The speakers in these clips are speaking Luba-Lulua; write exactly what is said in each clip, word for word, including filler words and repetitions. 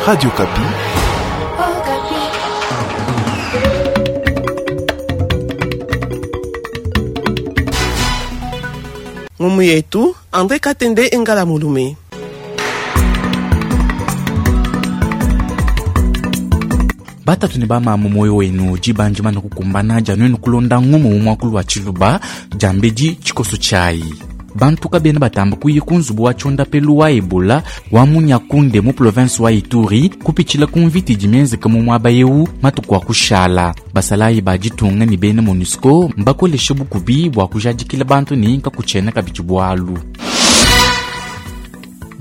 Radio Okapi. Ngumu yetu Andre Katende Engala Mulume. Batatu ne bamamu moyo wenu dibanji mana kukumbana dia nuenu kulonda ngumu mu muakulu wa tshiluba diambedi tshikoso tshiayi. Bantu kabena batamba kuya ku nzubu wa tshondapelu wa Ebola wa mu Nyakunde mu province wa Ituri kupitshila ku mvita idi mienzeke mu muaba eu matuku a kushala. Basalayi ba ditunga ne bena MONUSCO mbakoleshe bukubi bua kujadikila bantu ne kakutshiena kabidi bualu.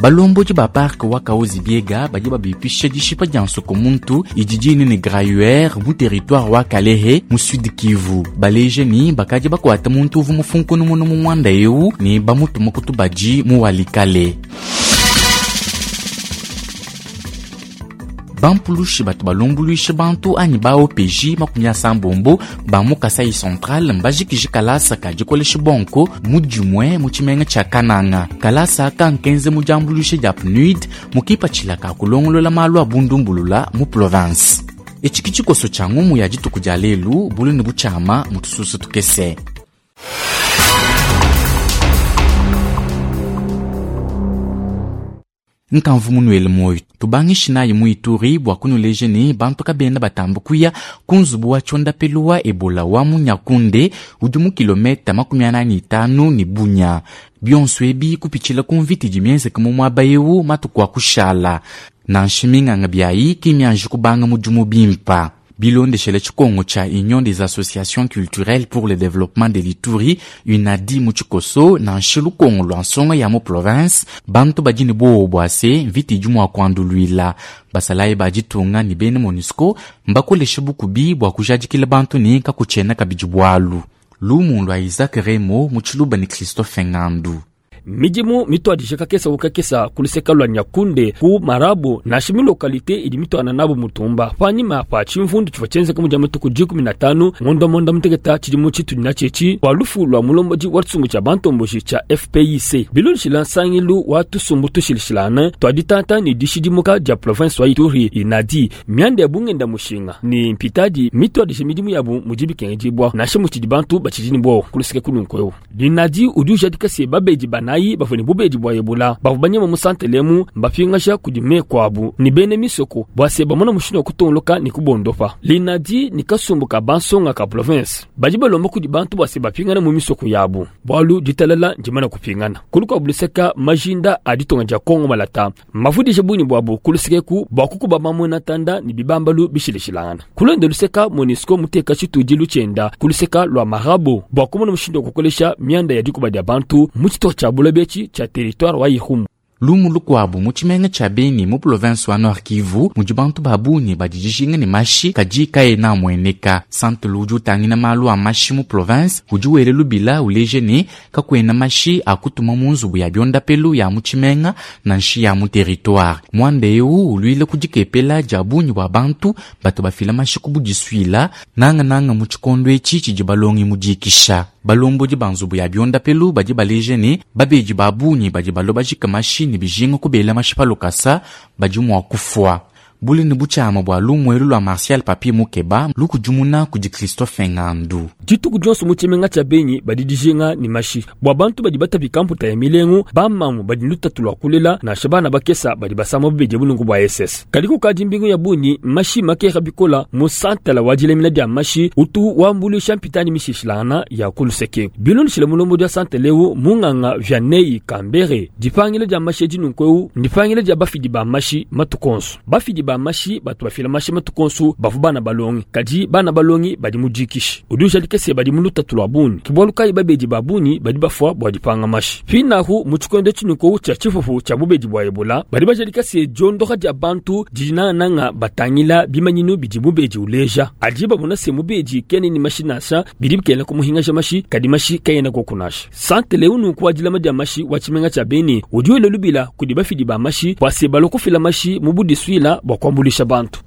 Balombodi ba parc wa Kahuzi Biega badi babipisha dishipa dia nsoko muntu idi dine ne Gruyère mu territoire wa Kalehe mu Sud Kivu. Baleje ni bakadi bakuata muntu uvu mufunkunu munu mu mwanda eu ni bamutuma kutubadi mu Walikale. Bampulushi batu balumbuluisha bantu anyi ba O P J makumi asambombo ba mu Kasai Central mbajikiji kalasa ka dikolesha bonko mu dimue mu tshimenga tshia Kananga. Kalasa aka nkenze mu diambuluisha dia P N U D mu kipatshila ka kulongolola malu a bundumbulula mu province. Etshi ki tshikoso tshia ngumu ya dituku dia lelu bulu ne butshiama mu tususu tukese. Nkamvu munuele moyo tubangishi naye mu Ituri bua kunuleje ne bantu kabena batamba kuya ku nzubu wa tshondapelu wa Ebola wa mu Nyakunde udi mu kilometa makumi anani itanu ne Bunia. Bionso ebi kupitshila ku mvita idi mienzeke mu muaba eu matuku a kushala. Nansha minganga biayi ki mianji kubanga mudimu bimpa. Bilondeshele tshikongo tshia Union des associations culturelles pour le développement de l'Ituri, UNADI mu tshikoso, nansha lukongo lua nsonga ya mu province, bantu badi ne buowa bua se mvita idi mua kuanduluila. Basalayi ba ditunga ne bena MONUSCO mbakoleshe bukubi bua kujadikila bantu ne kakutshiena kabidi bualu. Lumu lua Isaac Remo mu tshiluba ne Christophe Ngandu. Midimu mituadije kakesa ku kakesa ku luseka lua Nyakunde ku Marabo nansha mi lokalite idi mituana nabo mutumba panyima pa tshimvundu tshivua tshienzeka mu dia matuku dikumi na tanu ngondo monda muteketa tshidimu tshitudi na tshietshi bua lufu lua mulombodi wa tshisumbu tshia bantomboji tshia F P I C. Bilondeshila nsangilu wa tusumbu tushilishilana tua ditanta ne dishidimuka dia province wa Ituri inadi mianda ya bungenda mushinga ne mpitadi mituadije midimu yabu mudi bikengedibua nansha mutshidi bantu batshidi ne buowa ku luseke kulunku eu. Linadi udi ujadika se babedi banayi bavua ne bubedi bua Ebola bavua banyema mu santelemu mbapingaja kudi meku abu ne bene misoko bua se bamona mushindu wa kutongoloka ne kubondopa. Linadi ni kasumbu ka bansonga ka province badi balomba kudi bantu bua se bapingana mu misoko yabu bualu ditalala ndimana kupingana. Kuluka buluseka majinda a ditunga dia Kongo Malata mavudije bungi buabu kulusekeku bua kukuba mamona tanda ne bibambalu bishilishilangana. Kulonde luseka MONUSCO muteka tshitudilu tshienda kuluseka lua Marabo bua kumona mushindu wa kukolesha mianda ya dikuba dia bantu mu tshitupa tshia buloba etshi tshia territoire wa Irumu. Lumu lukuabu mu tshimenga tshia Beni mu province wa Nord Kivu mudi bantu ba bungi badi dijinga ne mashi kadi kaena amueneka. Centre udi utangila malu a mashi mu province udi wele lubila uleje ne kakuena mashi akutuma mu nzubu ya biondapelu ya mu tshimenga nansha ya mu territoire. Mwanda eu uluile kudikepela dia bungi bua bantu batu bafila mashi ku budisuila nangananga mu tshikondo etshi tshidi balongi mu dikisha. Balombodi ba nzubu ya biondapelu badi baleje ne babedi ba bungi badi balobajika mashi ne bijinga kubela mashi pa lokasa badi mua kufua. Bule ne butshiama bua lumuelu lua Martial Papi Mukeba lukudimuna kudi Christophe Ngandu. Dituku dionso mu tshimenga tshia Beni badi dijinga ne mashi bua bantu badi batapika mputa ya milengu, bamamu badi lutatu lua kulela nansha bana bakesa badi basama bubedi bulungu bua S S. Kadi kukadi mbingu ya bungi mashi makera bikola mu santala wa dilemina dia mashi utu wambuluisha mpitani mishishilana ya kuluseke. Bilondeshile mulombo dia santala eu munganga Vianney Kambere dipangila dia mashi edi nunku ndipangila dia bafidi ba mashi matukonso. Bafidi ba mashi batu bafila mashi matukonso bavu bana balongi kadi bana balongi badi mu dikishi. Udi ujadika se badi mu lutatu lua bungi. Ke bualu kayi babedi ba bungi badi bafua bua dipanga mashi. Pinahu mu tshikondo tshinuku tshia tshifufu tshia bubedi bua Ebola badi bajadika se diondoka dia bantu didi nangananga batangila bimanyinu bidi mubedi uleja. Adi babona se mubedi kene ni mashi nansha bidi bikena kumuhingaja mashi kadi mashi kayena kokunasha. Santele unu kwa dilama dia mashi wa tshimenga tshia Beni udi wela lubila kudi bafidi ba mashi bua se balokufila mashi mu budisuila bua kuambuluisha bantu.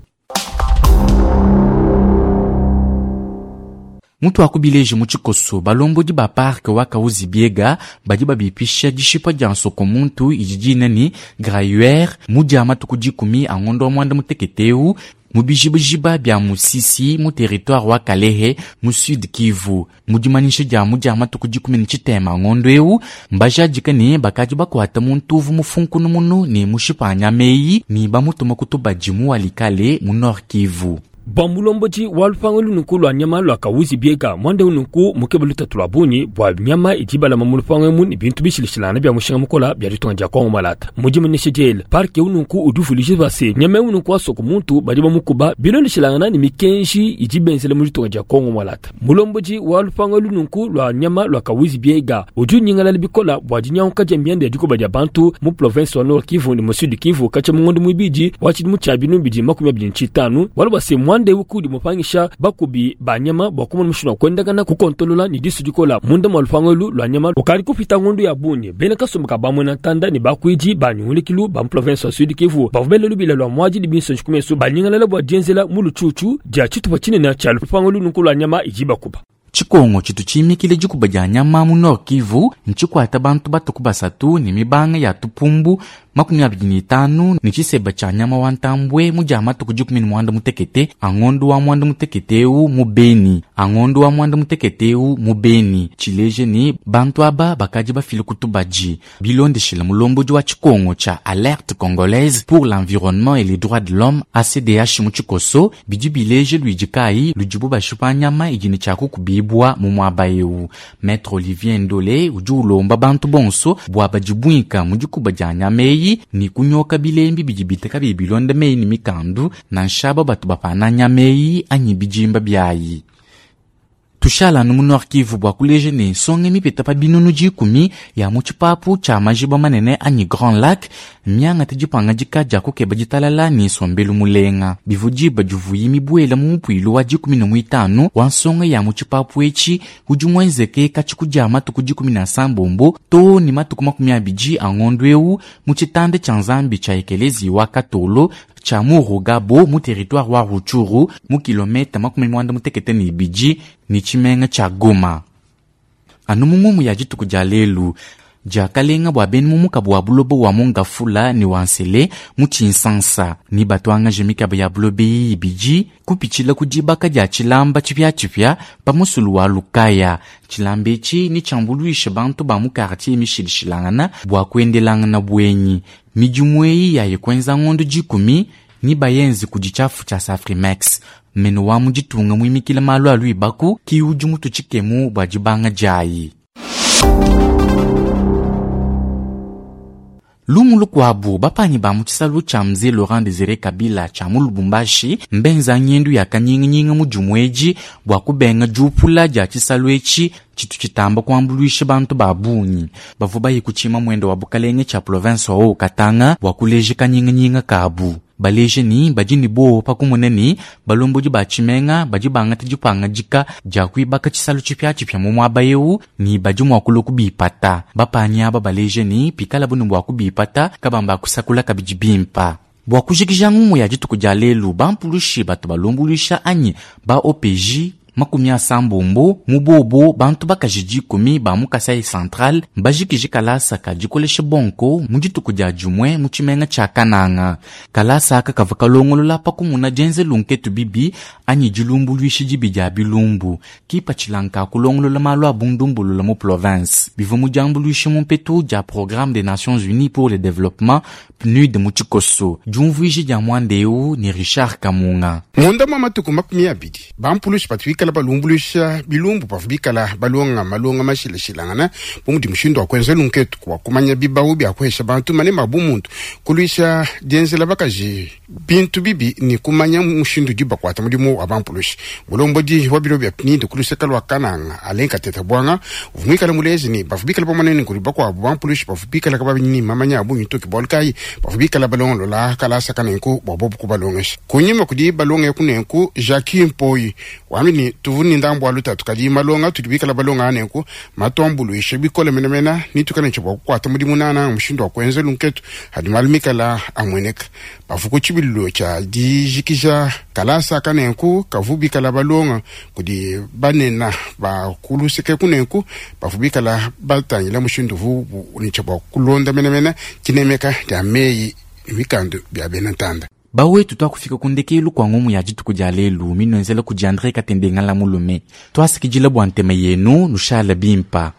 Mutu akubileje mu tshikoso balombodi ba parke wa Kahuzi Biega badi babipisha dishipa dia nsoko muntu idi dina ni grayuer mu dia matuku dikumi a ngondo wa mwanda mutekete eu mu bijibajiba bia Musisi mu territoire wa Kalehe mu Sud Kivu. Mu dimanyisha dia mu dia matuku dikumi ne tshitema ngondo eu mbajadika ne bakadi bakuata muntu uvu mufunkunu munu ne mushipa nyama eyi ne bamutuma kutubadi mu Walikale mu Nord Kivu. Bua mulombodi wa lupangu lunuku lua nyama lua Kahuzi Biega mwanda unuku mukebe lutatu lua bungi bua nyama idi balama mu lupangu emu ne bintu bishilashilangana bia mushinga mukola bia ditunga dia Kongo Malata. Mudimanisha diele parke unuku udi uvuluija bua se nyama unuku wa soko muntu badi bamukuba bilondeshilangana ne mikenji idi benzela mu ditunga dia Kongo Malata. Mulombodi wa lupangu lunuku lua nyama lua Kahuzi Biega udi unyingalala bikola bua dinyanguka dia mianda ya dikoba dia bantu mu province wa Nord Kivu ne mu Sud Kivu katshia mu ngondo muibidi wa tshidimu tshia binunu bibidi makumi abidi ne tshitanu bualu bua se mwanda eu kudi mupangisha bakubi ba nyama bua kumona mushindu wa kuendakana kukontolola ne disu dikola munda mua lupangu elu lua nyama lukadi kupita ngondo ya bungi. Bena kasumbu ka bamwena ntanda ne bakuidi ba nyungulikilu ba mu province wa Sud Kivu bavua bela lubila lua muadi ne binsonji ku mesu banyingalala bua dienzela mu lutshutshu dia tshitupa tshinene tshia lupangu elu nunku lua nyama idi bakuba. Tshikongo tshitu tshimikile dikuba dia nyama mu Nord Kivu ntshikwata bantu batuku basatu ne mibanga ya tupumbu makumi abidi ne itanu ne tshiseba tshia nyama wa ntambwe mu dia matuku dikumi ne muanda mutekete a ngondo wa muanda mutekete eu mu Beni. A ngondo wa muanda mutekete eu mu Beni. Tshileje ne bantu aba bakadi bafile kutubadi. Bilondeshile mulombodi wa tshikongo tshia Alerte Congolaise pour l'environnement et les droits de l'homme A C D H mu tshikoso bidi bileje luidi kayi ludibu bashipa nyama idi ne tshia kukubibwa mu muaba eu. Maître Olivier Ndole udi ulomba bantu bonso bua badibwika mu dikuba dia nyama eyi ni kunyoka bilembi bidi biteka bibilonda meyi ni mikandu nansha aba batu bapana nyama eyi anyi bijimba byayi. Tushala nu mu Nord Kivu bua kuleja ne nsonga mipeta pa binunu dikumi ya mu tshipapu tshia majiba manene anyi Grand Lac miangate dipangadika dia kukeba ditalala ne nsombelu mulenga. Bivu diba divuyi mibuela mu mupuilu wa dikumi ne muitanu wa nsonga ya mu tshipapu etshi udi muenzeke katshiku dia matuku dikumi na sambombo to ne matuku makumi abidi a ngondo eu mu tshitanda tshia Nzambi tshia Ekelezi wa Katolo tshia Murugabo mu territoire wa Rutshuru mu kilometa makumi muanda mutekete ne ibidi ne tshimenga tshia Goma. Anu mu ngumu ya dituku dia lelu diakalenga bua bena mu mukabu wa buloba wa Mongafula ne wa Nsele mu Tshinsansa ni batuangaje mikaba ya buloba iyi ibidi kupitshila ku dibaka dia tshilamba tshipiatshipia pa musulu wa Lukaya. Tshilamba etshi ni tshiambuluishe bantu ba mu quartier mishilishilangana bua kuendelangana buenyi. Midimu eyi yaye kuenza ngondo dikumi ni bayenzi kudi tshiafu tshia Safrimex. Meno wa mu ditunga muimikile malu a luibaku ki udi mutu tshikemu bua dibanga diayi. Lumu lukuabu bapanyi ba mu tshisalu tshia Mzee Laurent Désiré Kabila tshia mu Lubumbashi mbenza ngendu ya kanyinganyinga mu dimuedi bua kubenga diupula dia tshisalu etshi tshitu tshitamba kuambuluisha bantu ba bungi. Bavua baye kutshima muendo wa bukalenge tshia province wa Haut-Katanga bua kuleja kanyinganyinga kabu. Baleje ni badi ni bowo pa kumona ni balombodi ba tshimenga badi bangata dipangadika dia kuibaka tshisalu tshipiatshipia mu muaba eu ni badi mua kulua kubipata. Bapanyi aba baleje ni pikala bunu bua kubipata kabamba kusakula kabidi bimpa. Bua kujikija ngumu ya dituku dia lelu bampulushi batu balumbuluisha anyi ba O P J makumi asambombo mu bobo bantu bakaji dikumi ba mu Kasai Central mbajikije kalasa ka dikolesha bonko mu dituku dia dimue mu tshimenga tshia Kananga. Kalasa aka kavua kalongolola pa kumuna dienze lunketu bibi anyi dilumbuluishi dibi dia bilumbu kipatshila kulongolola malu a bundumbulula mu province. Bivua mu diambuluisha mu mpetu dia Programme des Nations Unies pour le Développement P N U D mu tshikoso. Diumvuiji dia muanda eu ni Richard Kamunga. Munda mwa matuku makumi abidi bampulushi batuikala balumbuluisha bilumbu bavua bikala balonga malonga mashilashilangana bu mudi mushindu wa kuenza lunketu kwa kumanya bibawu bia kuhesha bantu manema a bumuntu kuluisha dienzela bakaji bintu bibi ni kumanya mushindu udi bakuata mudimu wa bampulushi. Mulombodi wa biro bia P N U D kuluseka lua Kananga Alain Kateta Bwanga uvua muikale mulezi ni bavua bikala pamonene kudi bakuabu bampulushi bavua bikala kababini mamanya a bungi toki bualu kayi bavua bikala balongolola kalasa kanenku bua bobu kubalongesha. Kunyima kudi balonge kunenku Jacques Mpoyi wambi ni tuvu ni ndambu wa lutatu kadi malonga tudi bikala balonga nenku matuambuluishe bikole menemene nitukale ntshe bua kukuata mudimu nana mushindu wa kuenza lunketu hadi malu mikala amueneka bavu ku tshibililo tshia dijikija kalasa kanenku kavu bikala balonga kudi banena bakuluseke kunenku bavu bikala batangila mushindu vu nitshe bua kulonda menemene tshinemeka dia meyi mikandu bia bena ntanda. Bawetu twakufika kundekelu kwa ngumu ya dituku dia lelu minwenzela kudi Andre Katende Ngala mulume. Twasikidila bua ntema yenu nushala bimpa.